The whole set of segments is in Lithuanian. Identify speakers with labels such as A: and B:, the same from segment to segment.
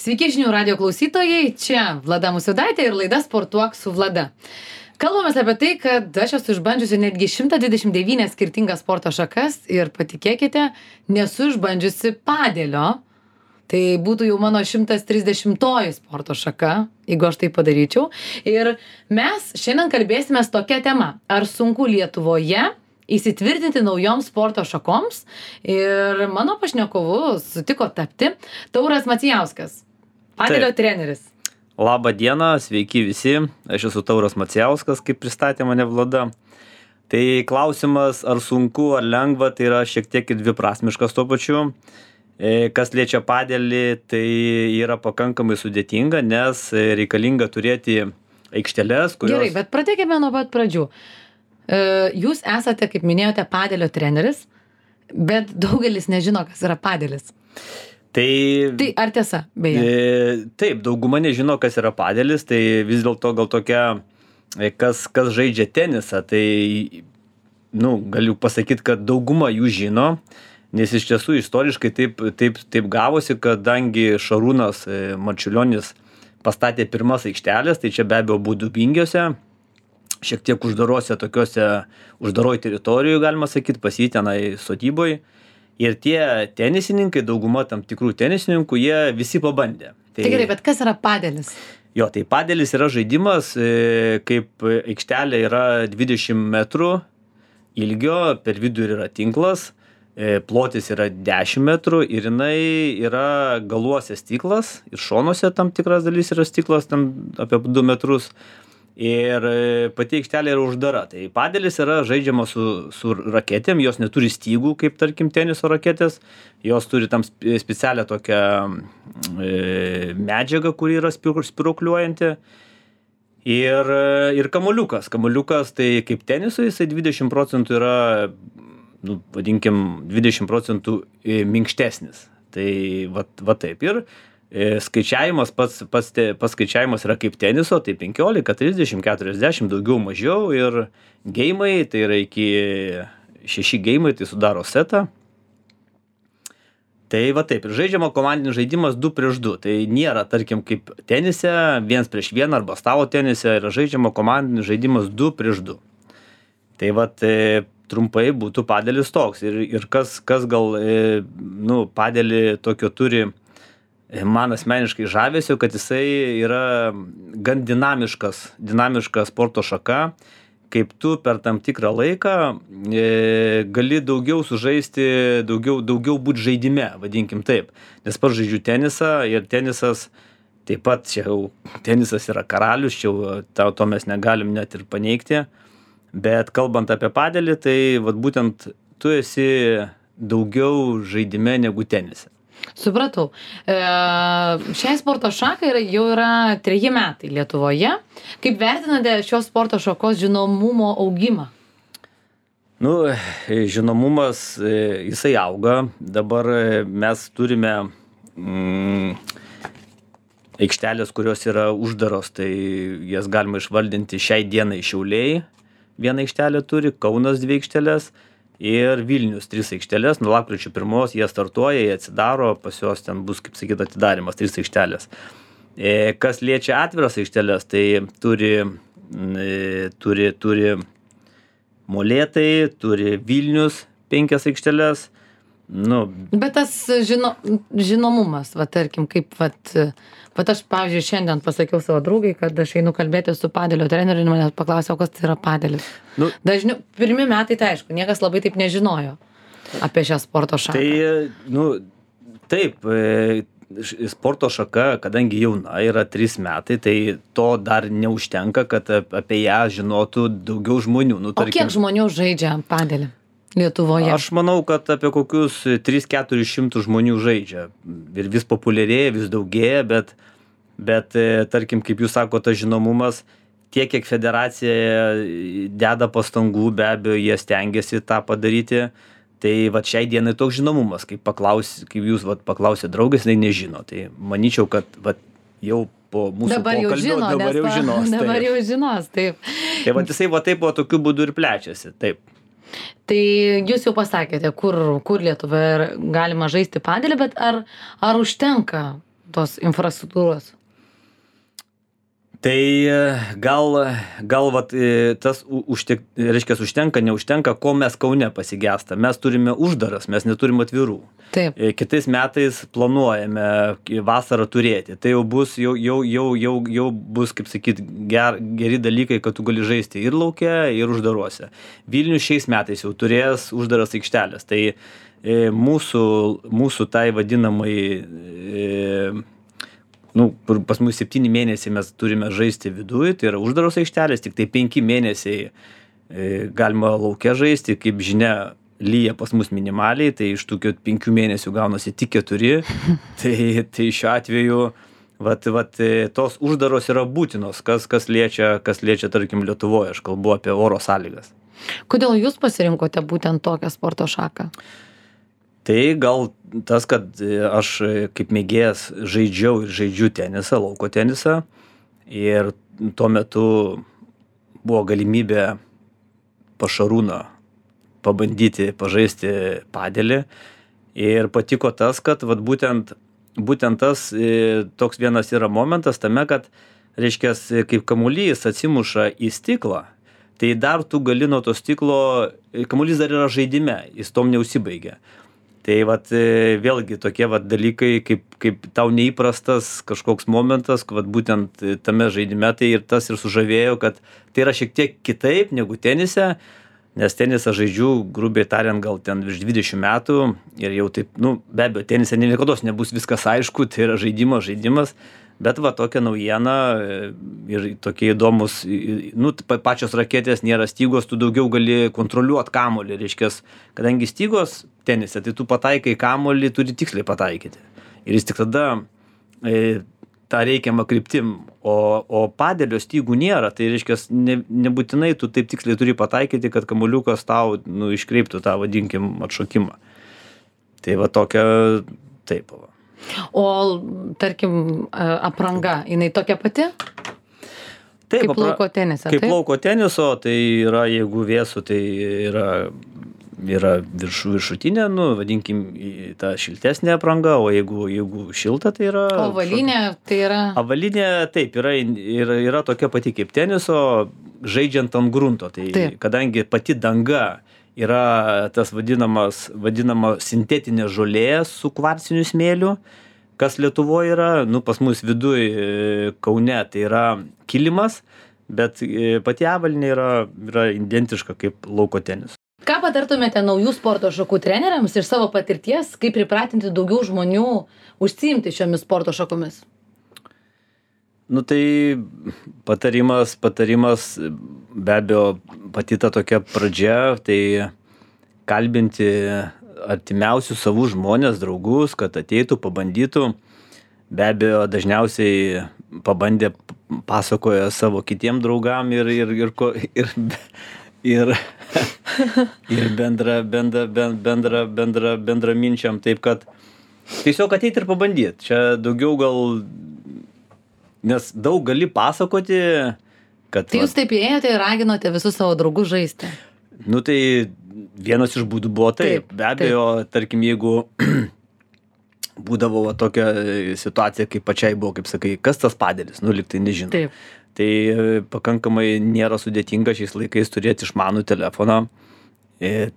A: Sveiki žinių radio klausytojai, čia Vlada Musvydaitė ir laida Sportuok su Vlada. Kalbamės apie tai, kad aš esu išbandžiusi netgi 129 skirtingas sporto šakas ir patikėkite, nesu išbandžiusi padelio. Tai būtų jau mano 130 sporto šaka, jeigu aš tai padaryčiau. Ir mes šiandien kalbėsime tokia tema, ar sunku Lietuvoje įsitvirtinti naujoms sporto šakoms. Ir mano pašnekovu sutiko tapti Tauras Macijauskas, padelio treneris.
B: Labą dieną, sveiki visi, aš esu Tauras Macijauskas, kaip pristatė mane Vlada. Tai klausimas, ar sunku, ar lengva, tai yra šiek tiek dviprasmiškas tuo pačiu. Kas liečia padelį, tai yra pakankamai sudėtinga, nes reikalinga turėti aikšteles, kurios...
A: Gerai, bet pradėkime nuo pat pradžių. Jūs esate, kaip minėjote, padelio treneris, bet daugelis nežino, kas yra padelis. Tai ar tiesa, beje?
B: Taip, dauguma nežino, kas yra padelis, tai vis dėlto gal tokia, kas žaidžia tenisą, tai galiu pasakyti, kad dauguma jų žino, nes iš tiesų istoriškai taip gavosi, kadangi Šarūnas Marčiulionis pastatė pirmas aikštelės, tai čia be abejo buvo Dubingiuose, šiek tiek uždaroj teritorijų, galima sakyti, pas jį tenai sodyboj. Ir tie tenisininkai, dauguma tam tikrų tenisininkų, jie visi pabandė.
A: Tai gerai, bet kas yra padelis?
B: Jo, tai padelis yra žaidimas, kaip aikštelė yra 20 metrų ilgio, per vidurį yra tinklas, plotis yra 10 metrų ir jinai yra galuose stiklas ir šonuose tam tikras dalis yra stiklas, tam apie 2 metrus. Ir pati aikštelė yra uždara. Tai padelis yra žaidžiama su raketėm, jos neturi stygų, kaip tarkim teniso raketės, jos turi tam specialią tokią medžiagą, kuri yra spirokliuojanti. Ir kamuoliukas. Kamuoliukas tai kaip tenisui, jisai 20% yra, vadinkim, 20% minkštesnis. Tai va taip. Ir skaičiavimas, pats skaičiavimas yra kaip teniso, tai 15, 30, 40, daugiau mažiau ir geimai, tai yra iki 6 geimai, tai sudaro setą. Tai va taip, ir žaidžiama komandinis žaidimas 2 prieš 2, tai nėra, tarkim, kaip tenise, 1 prieš 1 arba stalo tenise, yra žaidžiama komandinis žaidimas 2 prieš 2. Tai va, trumpai būtų padelis toks ir kas gal, padelį tokio turi, man asmeniškai žavėsiu, kad jisai yra gan dinamiška sporto šaka, kaip tu per tam tikrą laiką gali daugiau sužaisti, daugiau būti žaidime, vadinkim taip. Nes pats žaidžiu tenisą ir tenisas, taip pat čia jau tenisas yra karalius, čia jau to mes negalim net ir paneigti, bet kalbant apie padelį, tai vat būtent tu esi daugiau žaidime negu tenise.
A: Supratau. Šiai sporto šakai jau yra 3 metai Lietuvoje. Kaip vertinate šios sporto šakos žinomumo augimą?
B: Žinomumas, jisai auga. Dabar mes turime aikštelės, kurios yra uždaros, tai jas galima išvaldinti šiai dienai Šiauliai. Vieną aikštelę turi, Kaunas 2 aikšteles. Ir Vilnius 3 aikštelės, nuo lapkričio 1 jie startuoja, jie atsidaro, pas juos ten bus, kaip sakyt, atidarimas 3 aikštelės. Kas liečia atviras aikštelės, tai turi Molėtai, turi Vilnius 5 aikštelės.
A: Bet tas žinomumas, tarkim, kaip aš, pavyzdžiui, šiandien pasakiau savo draugai, kad aš einu kalbėti su padelio treneriu ir manęs paklausė, kas tai yra padelis. Pirmi metai, tai aišku, niekas labai taip nežinojo apie šią sporto šaką.
B: Taip, sporto šaka, kadangi jauna yra 3 metai, tai to dar neužtenka, kad apie ją žinotų daugiau žmonių.
A: O kiek žmonių žaidžia padelį Lietuvoje?
B: Aš manau, kad apie kokius 300-400 žmonių žaidžia. Ir vis populiarėja, vis daugėja, bet tarkim, kaip jūs sako, tas žinomumas, tiek, kiek federacija deda pastangų, be abejo, jie stengiasi tą padaryti. Tai šiai dienai toks žinomumas, kaip jūs paklausė draugės, jinai nežino. Tai manyčiau, kad jau po mūsų pokalbio dabar jau žinos.
A: Dabar jau žinos, taip.
B: Tai jisai taip tokiu būdu ir plečiasi, taip.
A: Tai jūs jau pasakėte, kur Lietuvoje galima žaisti padelį, bet ar užtenka tos infrastruktūros?
B: Tai gal vat, tas reiškia, užtenka, neužtenka, ko mes Kaune pasigesta. Mes turime uždaras, mes neturim atvirų.
A: Taip.
B: Kitais metais planuojame vasarą turėti. Tai jau bus, jau bus, kaip sakyt, geri dalykai, kad tu gali žaisti ir lauke, ir uždaruose. Vilnius šiais metais jau turės uždaras aikštelės. Tai mūsų tai vadinamai pas mus 7 mėnesiai mes turime žaisti viduje, tai yra uždaros aikštelės, tik tai 5 mėnesiai galima lauke žaisti, kaip žinia, lyja pas mus minimaliai, tai iš tų 5 mėnesių gaunasi tik 4, tai šiuo atveju tos uždaros yra būtinos, kas liečia, tarkim, Lietuvoje, aš kalbu apie oro sąlygas.
A: Kodėl jūs pasirinkote būtent tokią sporto šaką?
B: Tai gal tas, kad aš kaip mėgėjas žaidžiu tenisą, lauko tenisą ir tuo metu buvo galimybė pas Šarūną pabandyti pažaisti padelį ir patiko tas, kad būtent tas toks vienas yra momentas tame, kad, reiškia, kaip kamuolys atsimuša į stiklą, tai dar tu gali nuo to stiklo, kamuolys dar yra žaidime, jis tom neužsibaigia. Tai vėlgi tokie dalykai, kaip tau neįprastas kažkoks momentas, būtent tame žaidime, tai ir tas ir sužavėjo, kad tai yra šiek tiek kitaip negu tenise, nes tenisą žaidžiu, grubiai tariant, gal ten virš 20 metų ir jau taip, be abejo, tenise niekados nebus viskas aišku, tai yra žaidimas, bet tokia naujiena ir tokie įdomus, pačios raketės nėra stygos, tu daugiau gali kontroliuoti kamuolį, reiškia, kadangi stygos tenise, tai tu pataikai kamuolį, turi tiksliai pataikyti. Ir jis tik tada tą reikiamą kryptim, o padelio stygų nėra, tai reiškia, nebūtinai tu taip tiksliai turi pataikyti, kad kamuoliukas tau iškreiptų tą, vadinkim, atšokimą. Tai tokia, taip.
A: O, tarkim, apranga, jinai tokia pati?
B: Taip,
A: kaip lauko tenise,
B: kaip lauko teniso, tai yra, jeigu vėsų, tai yra viršutinė, vadinkim, ta šiltesnė apranga, o jeigu šilta, tai yra...
A: Avalinė, tai yra...
B: Avalinė, taip, yra tokia pati kaip teniso, žaidžiant ant grunto. Tai
A: taip.
B: Kadangi pati danga yra tas vadinama sintetinė žolė su kvarciniu smėliu, kas Lietuvoje yra, pas mus viduj Kaune, tai yra kilimas, bet pati avalynė yra identiška kaip lauko tenis.
A: Ką patartumėte naujų sporto šakų treneriams iš savo patirties, kaip pripratinti daugiau žmonių užsiimti šiomis sporto šakomis?
B: Tai patarimas, be abejo, pati ta tokia pradžia, tai kalbinti artimiausius savų žmonės, draugus, kad ateitų, pabandytų. Be abejo, dažniausiai pabandę pasakoja savo kitiem draugam ir bendraminčiam, taip kad tiesiog ateiti ir pabandyti. Čia daugiau gal, nes daug gali pasakoti, kad...
A: Tai jūs taip ėjote ir raginote visus savo draugus žaisti?
B: Tai vienas iš būdų buvo taip. Be abejo, tarkim, jeigu būdavo tokia situacija, kaip pačiai buvo, kaip sakai, kas tas padelis, lyg tai nežinau.
A: Taip.
B: Tai pakankamai nėra sudėtinga šiais laikais turėti išmanų telefoną ir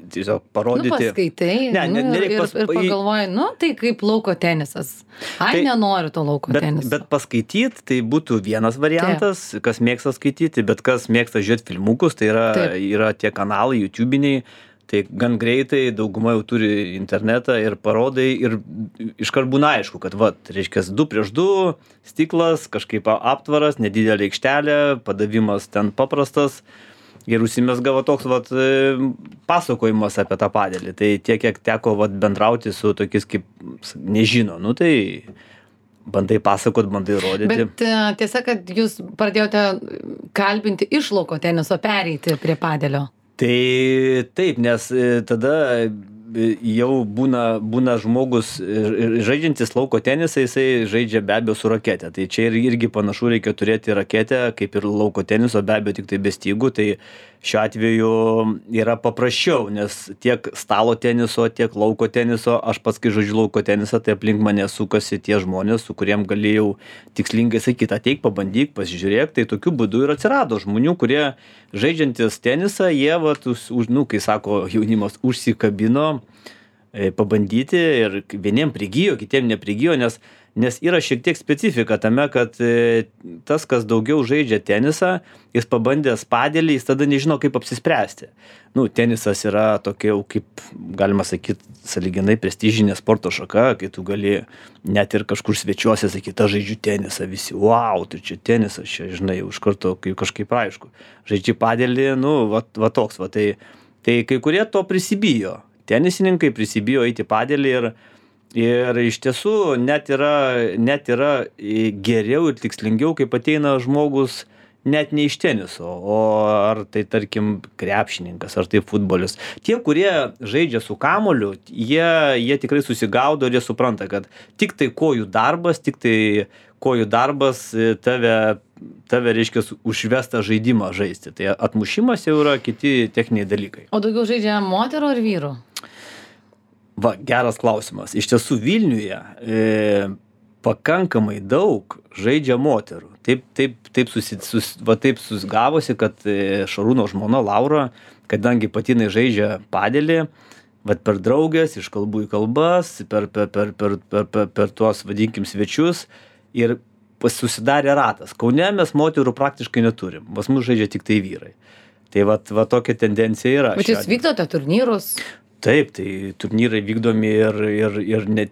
B: tiesiog parodyti.
A: Paskaitai ir pagalvoji, tai kaip lauko tenisas. Nenoriu to lauko teniso.
B: Bet paskaityti, tai būtų vienas variantas, kas mėgsta skaityti, bet kas mėgsta žiūrėti filmukus, tai yra tie kanalai YouTube'iniai, tai gan greitai dauguma jau turi internetą ir parodai ir iškart būna aišku, kad reiškia 2-2, stiklas, kažkaip aptvaras, nedidelė aikštelė, padavimas ten paprastas ir užsimezga toks pasakojimas apie tą padelį. Tai tiek, kiek teko bendrauti su tokiais kaip nežino, tai bandai pasakot, bandai rodyti.
A: Bet tiesa, kad jūs pradėjote kalbinti iš lauko teniso, pereiti prie padelio.
B: Tai taip, nes tada jau būna žmogus žaidžiantis lauko tenisą, jisai žaidžia be abejo su rakete. Tai čia irgi panašu reikia turėti raketę, kaip ir lauko teniso, be abejo tik tai be stygų. Tai šiuo atveju yra paprasčiau, nes tiek stalo teniso, tiek lauko teniso, aš pats kai žaidžiu lauko tenisą, tai aplink mane sukasi tie žmonės, su kuriem galėjau tikslingai sakyti, ateik, pabandyk, pasižiūrėk. Tai tokiu būdu ir atsirado žmonių, kurie žaidžiantis tenisą, jie, kai sako jaunimas, užsikabino pabandyti ir vieniem prigijo, kitiem neprigijo, nes yra šiek tiek specifika tame, kad tas, kas daugiau žaidžia tenisą, jis pabandęs padelį, jis tada nežino, kaip apsispręsti. Tenisas yra tokia, kaip galima sakyti, sąlyginai prestižinė sporto šaka, kai tu gali net ir kažkur svečiuose sakyti, aš žaidžiu tenisą, visi, wow, tai čia tenisas, čia, žinai, už karto kažkaip aišku. Žaidži padelį, va toks, va tai kai kurie to prisibijo. Tenisininkai prisibijo eiti padelį ir iš tiesų net yra geriau ir tikslingiau, kaip ateina žmogus net ne iš teniso, o ar tai tarkim krepšininkas, ar tai futbolis. Tie, kurie žaidžia su kamuoliu, jie tikrai susigaudo ir jie supranta, kad tik tai kojų darbas tave reiškia užvestą žaidimą žaisti. Tai atmušimas jau yra kiti techniniai dalykai.
A: O daugiau žaidžia moterų ar vyrų?
B: Va, geras klausimas. Iš tiesų Vilniuje pakankamai daug žaidžia moterų. Taip susigavosi, kad Šarūno žmona Laura, kadangi patinai žaidžia padelį, per draugės, iš kalbų į kalbas, per tuos, vadinkim, svečius ir susidarė ratas. Kaune mes moterų praktiškai neturim. Pas mus žaidžia tik tai vyrai. Tai va tokia tendencija yra.
A: Bet jūs vykdote turnyrus?
B: Taip, tai turnyrai vykdomi ir net...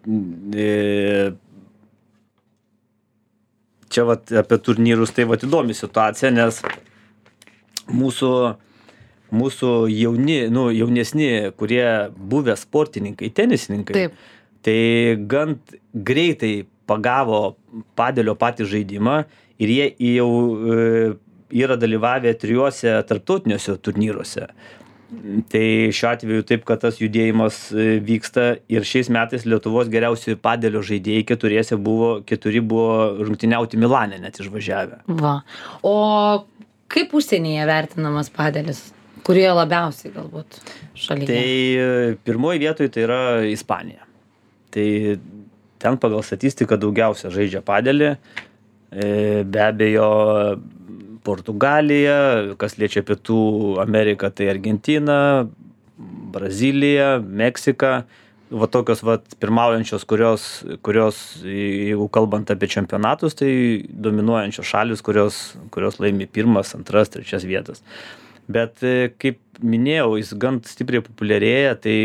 B: Čia apie turnyrus tai įdomi situacija, nes mūsų jaunesni, kurie buvę sportininkai, tenisininkai,
A: taip,
B: tai gan greitai pagavo padelio patį žaidimą ir jie jau yra dalyvavę 3 tarptautiniuose turnyruose. Tai šiuo atveju taip, kad tas judėjimas vyksta ir šiais metais Lietuvos geriausių padelio žaidėjai 4 buvo rungtyniauti Milane net išvažiavę.
A: Va. O kaip užsienyje vertinamas padelis? Kurie labiausiai galbūt šalyje?
B: Tai pirmoji vietoje tai yra Ispanija. Tai ten pagal statistiką daugiausia žaidžia padelį. Be abejo Portugalija, kas liečia Pietų Ameriką, tai Argentina, Brazilija, Meksika. Va tokios pirmaujančios, kurios, jeigu kalbant apie čempionatus, tai dominuojančios šalis, kurios laimi 1, 2, 3 vietas. Bet kaip minėjau, jis gan stipriai populiarėja, tai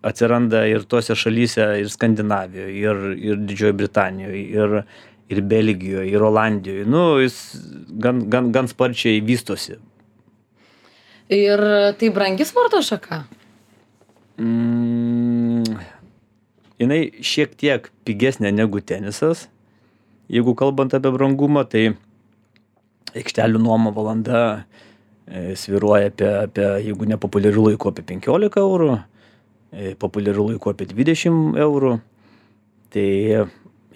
B: atsiranda ir tose šalyse, ir Skandinavijoje, ir Didžiojoje Britanijoje, ir Belgijoje, ir Olandijoje. Jis gan sparčiai vystosi.
A: Ir tai brangi sporto šaka?
B: Jinai šiek tiek pigesnė negu tenisas. Jeigu kalbant apie brangumą, tai aikštelių nuoma valanda svyruoja apie, jeigu nepopuliarių laikų, apie 15 eurų, populiarių laikų apie 20 eurų. Tai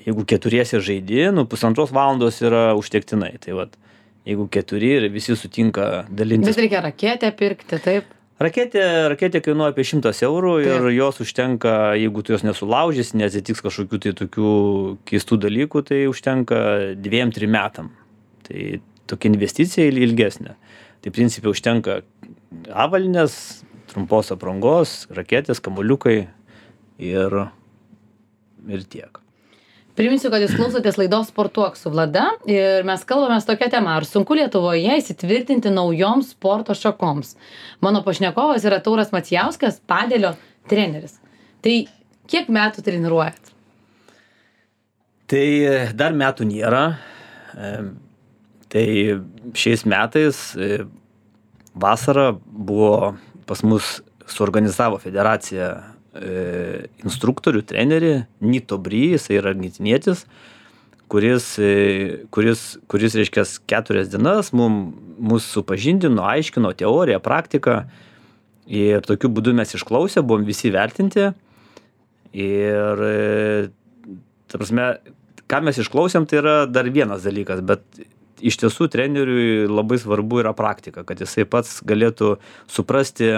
B: jeigu 4 žaidi, 1,5 valandos yra užtektinai. Tai jeigu 4 ir visi sutinka dalintis.
A: Bet reikia raketę pirkti, taip?
B: Raketė kainuoja apie 100 eurų ir jos užtenka, jeigu tu jos nesulaužys, neatsitiks kažkokių tai tokių keistų dalykų, tai užtenka 2-3 metam. Tai tokia investicija ilgesnė. Tai principiai užtenka avalynės, trumpos aprangos, raketės, kamuoliukai ir tiek.
A: Priminsiu, kad jūs klausotės laidos Sportuok su Vlada ir mes kalbamės tokia tema, ar sunku Lietuvoje įsitvirtinti naujoms sporto šakoms. Mano pašnekovas yra Tauras Macijauskas, padelio treneris. Tai kiek metų treniruojat?
B: Tai dar metų nėra. Tai šiais metais vasarą buvo pas mus suorganizavo federacija instruktorių, trenerį, Nito Bry, jis yra argentinietis, kuris reiškia 4 dienas mus supažindino, aiškino teoriją, praktiką Ir tokiu būdu mes išklausę, buvom visi vertinti. Ir, ta prasme, ką mes išklausėm, tai yra dar vienas dalykas, bet iš tiesų treneriui labai svarbu yra praktika, kad jisai pats galėtų suprasti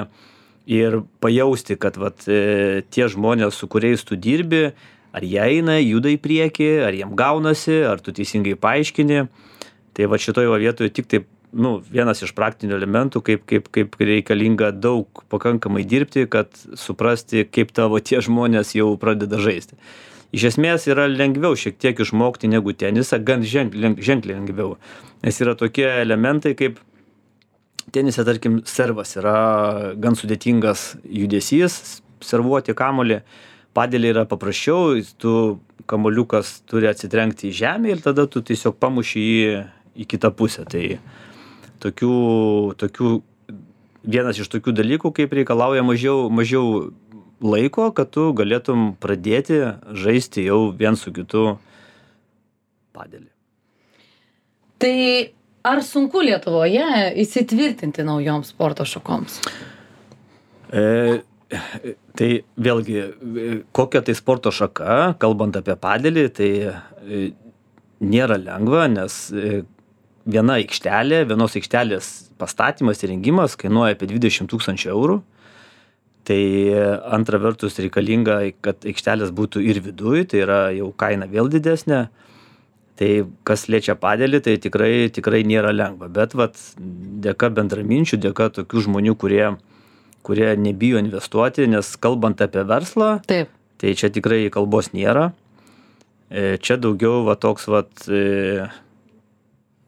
B: ir pajausti, kad vat, tie žmonės, su kuriais tu dirbi, ar jie eina, juda į priekį, ar jiem gaunasi, ar tu teisingai paaiškini. Tai va šitoje vietoje tik taip, vienas iš praktinių elementų, kaip reikalinga daug pakankamai dirbti, kad suprasti, kaip tavo tie žmonės jau pradeda žaisti. Iš esmės yra lengviau šiek tiek išmokti negu tenisą, gan ženkliai lengviau. Nes yra tokie elementai, kaip tenise, tarkim, servas yra gan sudėtingas judesys, servuoti kamuolį. Padėlį yra paprasčiau, tu kamuoliukas turi atsitrenkti į žemę ir tada tu tiesiog pamuši jį į kitą pusę. Tai vienas iš tokių dalykų, kaip reikalauja mažiau laiko, kad tu galėtum pradėti žaisti jau vien su kitu padėlį.
A: Tai ar sunku Lietuvoje įsitvirtinti naujoms sporto šakoms?
B: Tai vėlgi, kokia tai sporto šaka, kalbant apie padėlį, tai nėra lengva, nes vienos aikštelės pastatymas ir rengimas kainuoja apie 20 000 eurų. Tai antra vertus reikalinga, kad aikštelės būtų ir viduj, tai yra jau kaina vėl didesnė. Tai kas liečia padėlį, tai tikrai nėra lengva. Bet dėka bendraminčių, dėka tokių žmonių, kurie nebijo investuoti, nes kalbant apie verslą,
A: taip,
B: tai čia tikrai kalbos nėra. Čia daugiau toks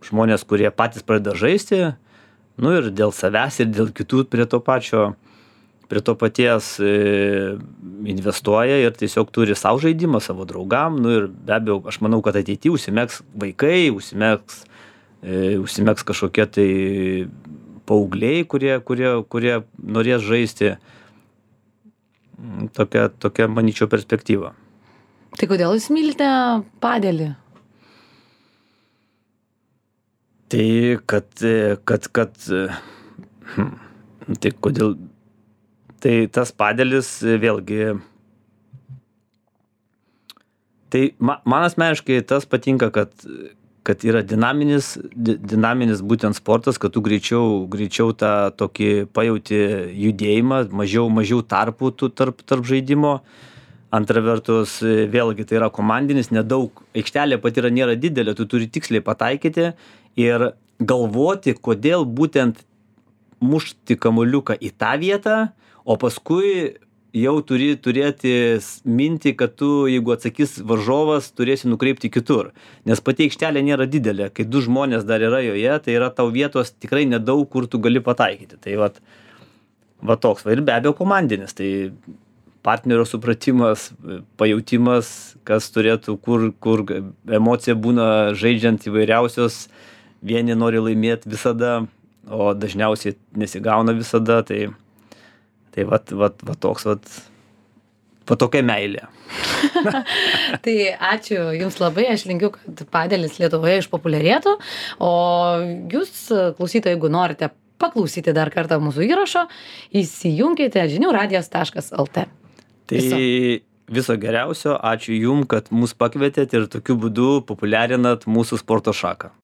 B: žmonės, kurie patys pradeda žaisti, ir dėl savęs, ir dėl kitų prie to paties investuoja ir tiesiog turi savo žaidimą, savo draugam, ir be abejo, aš manau, kad ateityje užsimegs vaikai, užsimegs kažkokie tai paaugliai, kurie norės žaisti. Tokia, manyčiau, perspektyva.
A: Tai kodėl jūs mylite padėlį?
B: Tai tai kodėl, tai tas padėlis vėlgi, tai man asmeniškai tas patinka, kad yra dinaminis būtent sportas, kad tu greičiau tą tokį pajauti judėjimą, mažiau tarpų tarp žaidimo. Antra vertus, vėlgi tai yra komandinis, nedaug, aikštelė pati nėra didelė, tu turi tiksliai pataikyti ir galvoti, kodėl būtent mušti kamuoliuką į tą vietą, o paskui jau turi turėti mintį, kad tu, jeigu atsakys varžovas, turėsi nukreipti kitur. Nes pati aikštelė nėra didelė, kai du žmonės dar yra joje, tai yra tau vietos tikrai nedaug, kur tu gali pataikyti. Tai toks, ir be abejo komandinis, tai partnerio supratimas, pajautimas, kas turėtų, kur emocija būna žaidžiant įvairiausios, vieni nori laimėti visada, o dažniausiai nesigauna visada, tai tokia meilė.
A: Tai ačiū Jums labai, aš linkiu, kad padėlis Lietuvoje išpopuliarėtų, o Jūs, klausytojai, jeigu norite paklausyti dar kartą mūsų įrašo, įsijunkite žiniųradijas.lt.
B: Tai viso geriausio, ačiū Jums, kad mus pakvietėt ir tokiu būdu populiarinat mūsų sporto šaką.